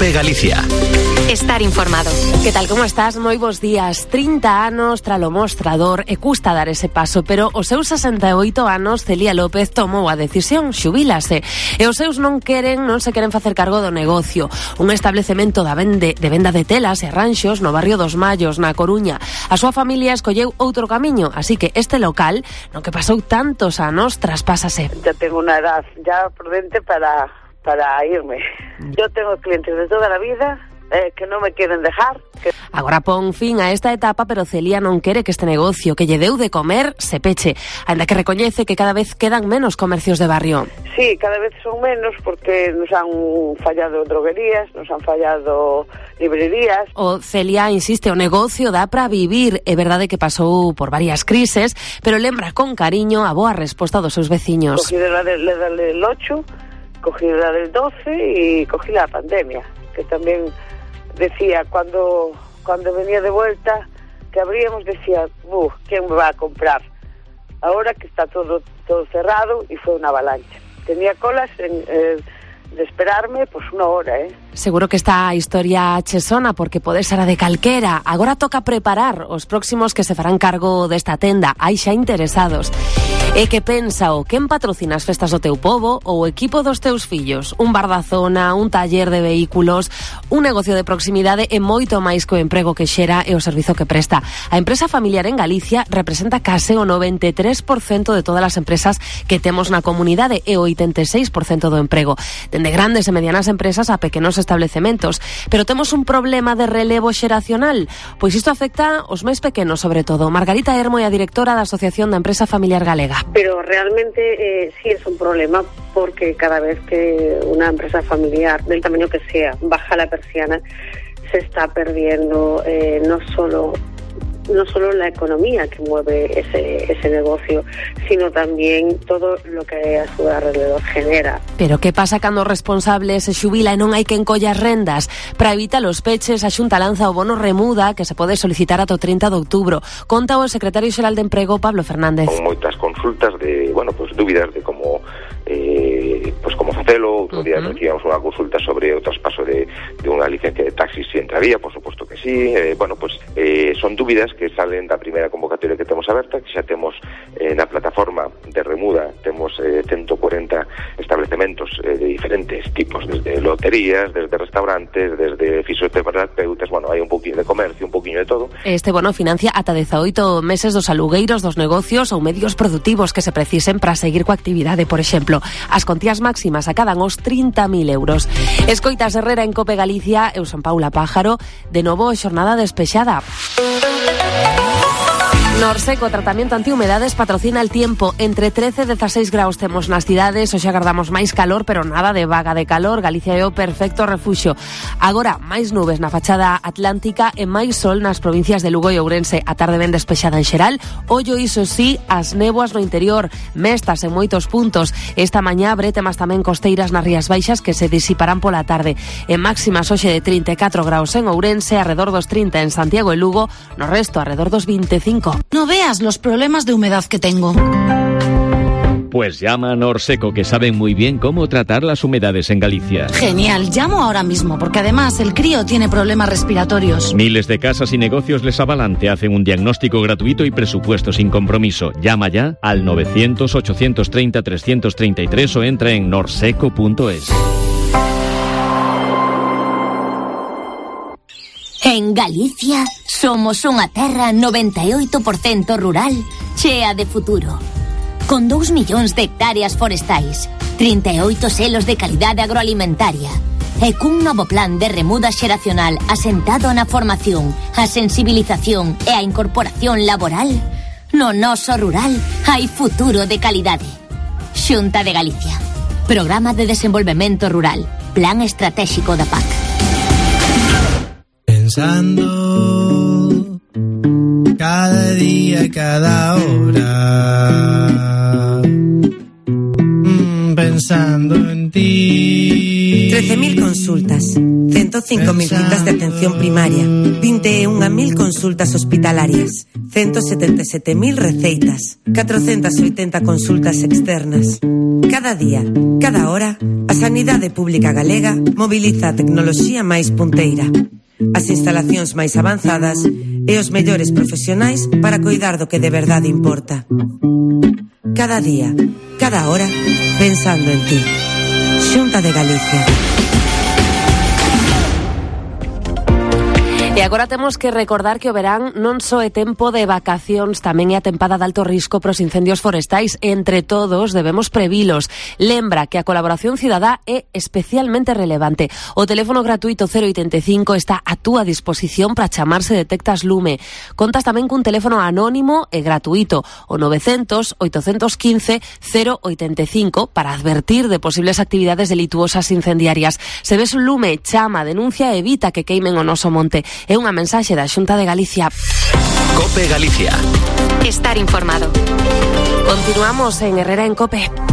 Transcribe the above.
COPE Galicia. Estar informado. Que tal, como estás? Moi bons días. 30 anos tralo mostrador e custa dar ese paso, pero os seus 68 anos Celia López tomou a decisión, xubilase. E os seus non se queren facer cargo do negocio. Un establecemento de venda de telas e arranxos no barrio dos Mallos, na Coruña. A súa familia escolleu outro camiño, así que este local, no que pasou tantos anos, traspásase. Ya tengo una edad ya prudente para irme. Yo tengo clientes de toda la vida que non me queren dejar. Agora pon fin a esta etapa, pero Celia non quere que este negocio que lle deu de comer se peche, ainda que recoñece que cada vez quedan menos comercios de barrio. Sí, cada vez son menos porque nos han fallado droguerías, nos han fallado librerías. O Celia insiste, o negocio dá para vivir. É verdade que pasou por varias crises, pero lembra con cariño a boa resposta dos seus veciños. Cogí la del 8, cogí la del 12 y cogí la pandemia, que también decía, cuando venía de vuelta, que abríamos, decía, ¿quién me va a comprar? Ahora que está todo cerrado, y fue una avalancha. Tenía colas de esperarme, pues una hora, Seguro que esta historia che sona porque pode ser a de calquera. Agora toca preparar os próximos que se farán cargo desta tenda. Hai xa interesados. E que pensa o quen patrocina as festas do teu pobo ou o equipo dos teus fillos? Un bar da zona, un taller de vehículos, un negocio de proximidade e moito máis que o emprego que xera e o servizo que presta. A empresa familiar en Galicia representa case o 93% de todas as empresas que temos na comunidade e o 86% do emprego. Dende grandes e medianas empresas a pequenos establecementos. Pero temos un problema de relevo xeracional, pois isto afecta aos máis pequenos sobre todo. Margarita Hermo é a directora da Asociación da Empresa Familiar Galega. Pero realmente sí es un problema porque cada vez que una empresa familiar, del tamaño que sea, baja la persiana, se está perdiendo no solo la economía que mueve ese negocio, sino también todo lo que a su alrededor genera. Pero que pasa cando o responsable se xubila e non hai quen colla as rendas? Para evitar os peches, a Xunta lanza o bono remuda que se pode solicitar ata o 30 de outubro. Conta o secretario xeral de Emprego, Pablo Fernández. Con moitas consultas de, dúbidas de como facelo. Outro día recibíamos unha consulta sobre o traspaso de unha licencia de taxi, si entraría, por suposto que sí. Son dúbidas que salen da primeira convocatoria que temos aberta, que xa temos na plataforma de remuda, temos 140 establecementos de diferentes tipos, desde loterías, desde restaurantes, desde fisioterapeutas, hai un pouquinho de comercio, un pouquinho de todo. Este bono financia ata 18 meses dos alugueiros dos negocios ou medios produtivos que se precisen para seguir coa actividade, por exemplo. As contías máximas acadan os 30.000 euros. Escoitas Herrera en COPE Galicia, eu son Paula Pájaro, de novo xornada despexada. Norseco, tratamento antihumedades, patrocina el tiempo. Entre 13 e 16 graus temos nas cidades. Hoxe agardamos máis calor, pero nada de vaga de calor. Galicia é o perfecto refuxio. Agora, máis nubes na fachada atlántica e máis sol nas provincias de Lugo e Ourense. A tarde ben despexada en xeral. Ollo, iso sí, as néboas no interior, mestas en moitos puntos. Esta mañá bretemas tamén costeiras nas Rías Baixas que se disiparán pola tarde. En máximas hoxe de 34 graus en Ourense, arredor dos 30 en Santiago e Lugo, no resto arredor dos 25. No veas los problemas de humedad que tengo. Pues llama a Norseco, que saben muy bien cómo tratar las humedades en Galicia. Genial, llamo ahora mismo, porque además el crío tiene problemas respiratorios. Miles de casas y negocios les avalan, te hacen un diagnóstico gratuito y presupuesto sin compromiso. Llama ya al 900-830-333 o entra en norseco.es. En Galicia somos unha terra 98% rural, chea de futuro. Con 2 millóns de hectáreas forestais, 38 selos de calidade agroalimentaria e cun novo plan de remuda xeracional asentado na formación, a sensibilización e a incorporación laboral, no noso rural hai futuro de calidade. Xunta de Galicia. Programa de Desenvolvemento Rural. Plan Estratégico da PAC. Pensando cada día y cada hora, pensando en ti. 13.000 consultas, 105.000 citas de atención primaria, 21.000 consultas hospitalarias, 177.000 receitas, 480 consultas externas. Cada día, cada hora, a Sanidade Pública Galega mobiliza a tecnoloxía máis punteira, as instalacións máis avanzadas e os mellores profesionais para coidar do que de verdade importa. Cada día, cada hora, pensando en ti. Xunta de Galicia. E agora temos que recordar que o verán non só é tempo de vacacións, tamén é a tempada de alto risco para os incendios forestais. Entre todos debemos previlos. Lembra que a colaboración cidadá é especialmente relevante. O teléfono gratuito 085 está a túa disposición para chamar se detectas lume. Contas tamén cun teléfono anónimo e gratuito, o 900-815-085, para advertir de posibles actividades delituosas incendiarias. Se ves un lume, chama, denuncia e evita que queimen o noso monte. É unha mensaxe da Xunta de Galicia. COPE Galicia. Estar informado. Continuamos en Herrera en COPE.